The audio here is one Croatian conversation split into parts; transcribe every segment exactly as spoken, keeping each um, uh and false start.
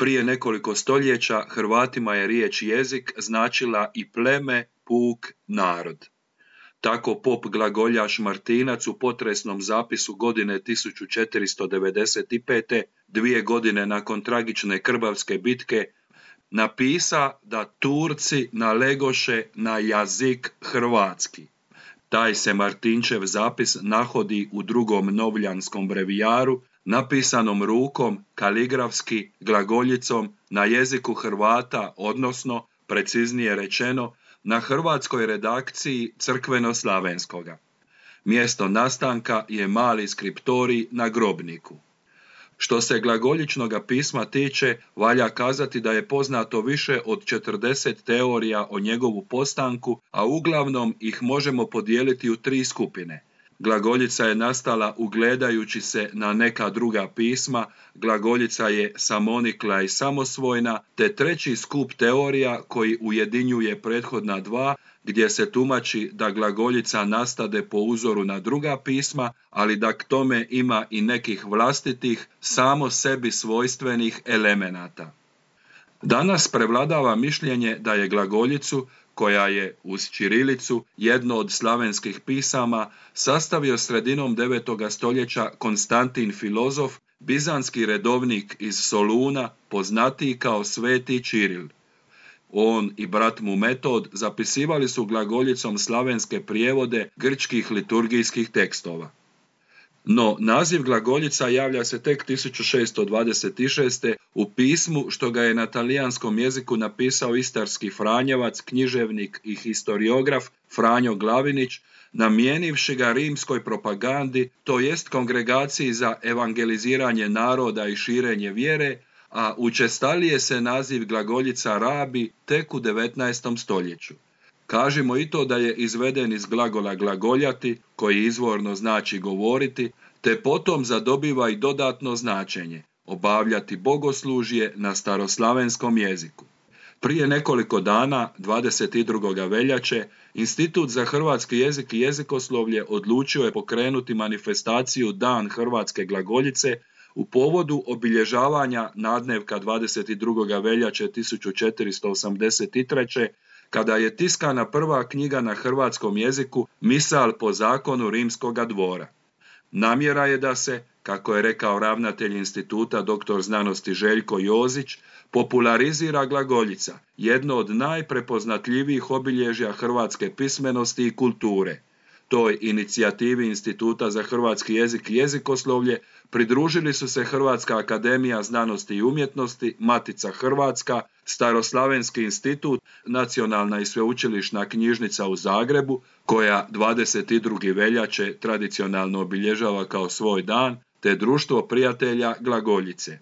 Prije nekoliko stoljeća Hrvatima je riječ jezik značila i pleme, puk, narod. Tako pop glagoljaš Martinac u potresnom zapisu godine tisuću četiristo devedeset pet. dvije godine nakon tragične Krbavske bitke, napisa da Turci nalegoše na jazik hrvatski. Taj se Martinčev zapis nahodi u drugom novljanskom brevijaru, napisanom rukom, kaligrafski, glagoljicom, na jeziku Hrvata, odnosno, preciznije rečeno, na hrvatskoj redakciji crkveno-slavenskoga. Mjesto nastanka je mali skriptorij na grobniku. Što se glagoljičnoga pisma tiče, valja kazati da je poznato više od četrdeset teorija o njegovu postanku, a uglavnom ih možemo podijeliti u tri skupine. Glagoljica je nastala ugledajući se na neka druga pisma, glagoljica je samonikla i samosvojna, te treći skup teorija koji ujedinjuje prethodna dva, gdje se tumači da glagoljica nastade po uzoru na druga pisma, ali da k tome ima i nekih vlastitih, samo sebi svojstvenih elemenata. Danas prevladava mišljenje da je glagoljicu, koja je uz ćirilicu jedno od slavenskih pisama, sastavio sredinom devetoga stoljeća Konstantin Filozof, bizanski redovnik iz Soluna, poznatiji kao Sveti Ćiril. On i brat mu Metod zapisivali su glagoljicom slavenske prijevode grčkih liturgijskih tekstova. No, naziv glagoljica javlja se tek tisuću šesto dvadeset šeste. u pismu što ga je na talijanskom jeziku napisao istarski Franjevac, književnik i historiograf Franjo Glavinić, namijenivši ga rimskoj propagandi, to jest kongregaciji za evangeliziranje naroda i širenje vjere, a učestalije se naziv glagoljica rabi tek u devetnaestom stoljeću. Kažimo i to da je izveden iz glagola glagoljati, koji izvorno znači govoriti, te potom zadobiva i dodatno značenje, obavljati bogoslužje na staroslavenskom jeziku. Prije nekoliko dana, dvadeset drugog veljače, Institut za hrvatski jezik i jezikoslovlje odlučio je pokrenuti manifestaciju Dan hrvatske glagoljice u povodu obilježavanja nadnevka dvadeset drugog veljače tisuću četiristo osamdeset treće. kada je tiskana prva knjiga na hrvatskom jeziku Misal po zakonu rimskoga dvora. Namjera je da se, kako je rekao ravnatelj instituta doktor znanosti Željko Jozić, popularizira glagoljica, jedno od najprepoznatljivijih obilježja hrvatske pismenosti i kulture. Toj inicijativi Instituta za hrvatski jezik i jezikoslovlje pridružili su se Hrvatska akademija znanosti i umjetnosti, Matica Hrvatska, Staroslavenski institut, Nacionalna i sveučilišna knjižnica u Zagrebu, koja dvadeset drugo veljače tradicionalno obilježava kao svoj dan, te Društvo prijatelja glagoljice.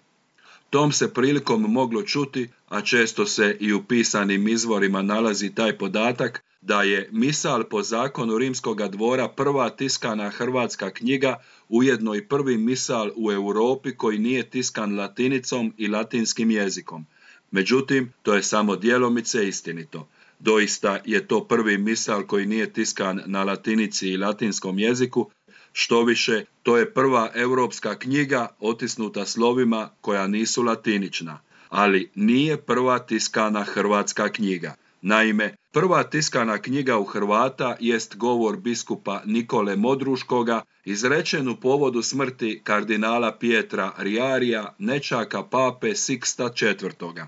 Tom se prilikom moglo čuti, a često se i u pisanim izvorima nalazi taj podatak, da je Misal po zakonu rimskoga dvora prva tiskana hrvatska knjiga, ujedno i prvi misal u Europi koji nije tiskan latinicom i latinskim jezikom. Međutim, to je samo djelomice istinito. Doista je to prvi misal koji nije tiskan na latinici i latinskom jeziku, štoviše, to je prva europska knjiga otisnuta slovima koja nisu latinična, ali nije prva tiskana hrvatska knjiga. Naime, prva tiskana knjiga u Hrvata jest govor biskupa Nikole Modruškoga, izrečen u povodu smrti kardinala Pietra Riarija, nečaka pape Siksta četvrtoga.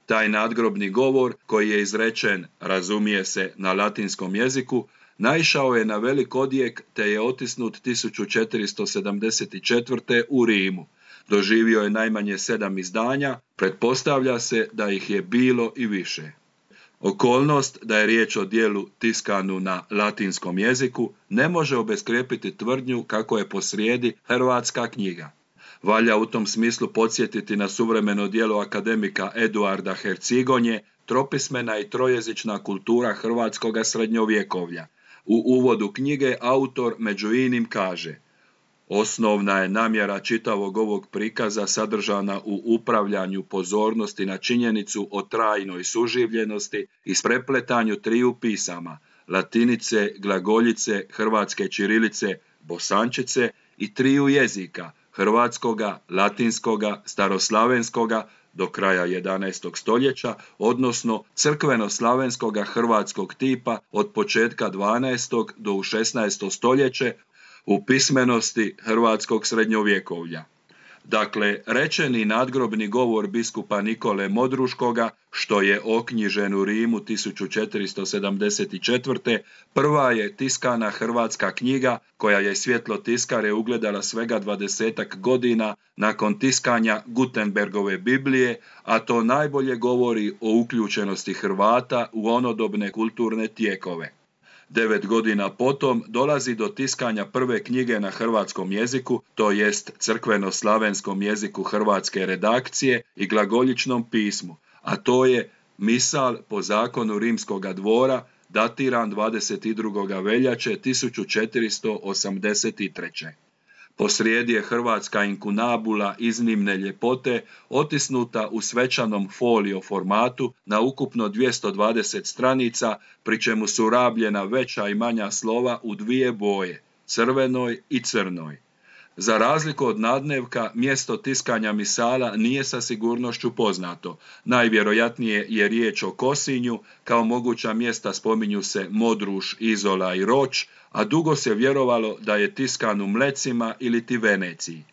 Taj nadgrobni govor, koji je izrečen, razumije se, na latinskom jeziku, naišao je na velik odjek te je otisnut tisuću četiristo sedamdeset četvrte. u Rimu. Doživio je najmanje sedam izdanja, pretpostavlja se da ih je bilo i više. Okolnost da je riječ o dijelu tiskanu na latinskom jeziku ne može obeskrijepiti tvrdnju kako je posrijedi hrvatska knjiga. Valja u tom smislu podsjetiti na suvremeno djelo akademika Eduarda Hercigonje, Tropismena i trojezična kultura hrvatskoga srednjovjekovlja. U uvodu knjige autor među inim kaže: osnovna je namjera čitavog ovog prikaza sadržana u upravljanju pozornosti na činjenicu o trajnoj suživljenosti i sprepletanju triju pisama, latinice, glagoljice, hrvatske ćirilice, bosančice i triju jezika, hrvatskoga, latinskoga, staroslavenskoga, do kraja jedanaestog stoljeća, odnosno crkveno-slavenskoga hrvatskog tipa od početka dvanaestog do u šesnaesto stoljeće u pismenosti hrvatskog srednjovjekovlja. Dakle, rečeni nadgrobni govor biskupa Nikole Modruškoga, što je oknjižen u Rimu tisuću četiristo sedamdeset četvrte. prva je tiskana hrvatska knjiga koja je svjetlo tiskare ugledala svega dvadesetak godina nakon tiskanja Gutenbergove Biblije, a to najbolje govori o uključenosti Hrvata u onodobne kulturne tijekove. Devet godina potom dolazi do tiskanja prve knjige na hrvatskom jeziku, to jest crkveno-slavenskom jeziku hrvatske redakcije i glagoljičnom pismu, a to je Misal po zakonu rimskoga dvora, datiran dvadeset drugog veljače tisuću četiristo osamdeset treće. Posrijedi je hrvatska inkunabula iznimne ljepote, otisnuta u svečanom folio formatu na ukupno dvjesto dvadeset stranica, pri čemu su rabljena veća i manja slova u dvije boje, crvenoj i crnoj. Za razliku od nadnevka, mjesto tiskanja misala nije sa sigurnošću poznato. Najvjerojatnije je riječ o Kosinju, kao moguća mjesta spominju se Modruš, Izola i Roč, a dugo se vjerovalo da je tiskan u Mlecima ili ti Veneciji.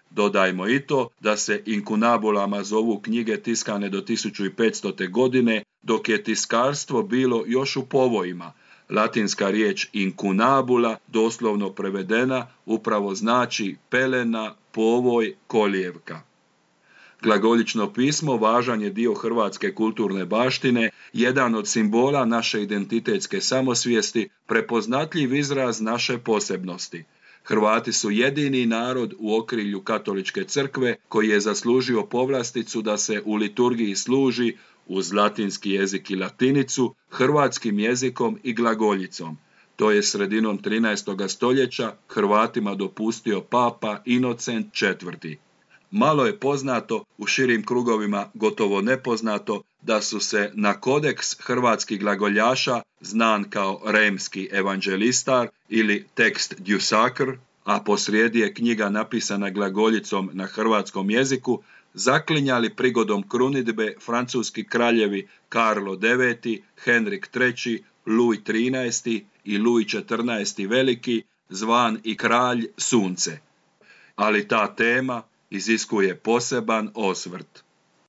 Dodajmo i to da se inkunabulama zovu knjige tiskane do tisuću petstote. godine, dok je tiskarstvo bilo još u povojima. Latinska riječ inkunabula, doslovno prevedena, upravo znači pelena, povoj, kolijevka. Glagoljično pismo važan je dio hrvatske kulturne baštine, jedan od simbola naše identitetske samosvijesti, prepoznatljiv izraz naše posebnosti. Hrvati su jedini narod u okrilju katoličke crkve koji je zaslužio povlasticu da se u liturgiji služi uz latinski jezik i latinicu, hrvatskim jezikom i glagoljicom. To je sredinom trinaestog stoljeća Hrvatima dopustio papa Inocent četvrti. Malo je poznato, u širim krugovima gotovo nepoznato, da su se na kodeks hrvatskih glagoljaša, znan kao Remski evanđelistar ili tekst Djusakr, a posrijedi je knjiga napisana glagoljicom na hrvatskom jeziku, zaklinjali prigodom krunidbe francuski kraljevi Karlo deveti, Henrik treći, Luj trinaesti i Luj četrnaesti veliki, zvan i kralj sunce. Ali ta tema iziskuje poseban osvrt.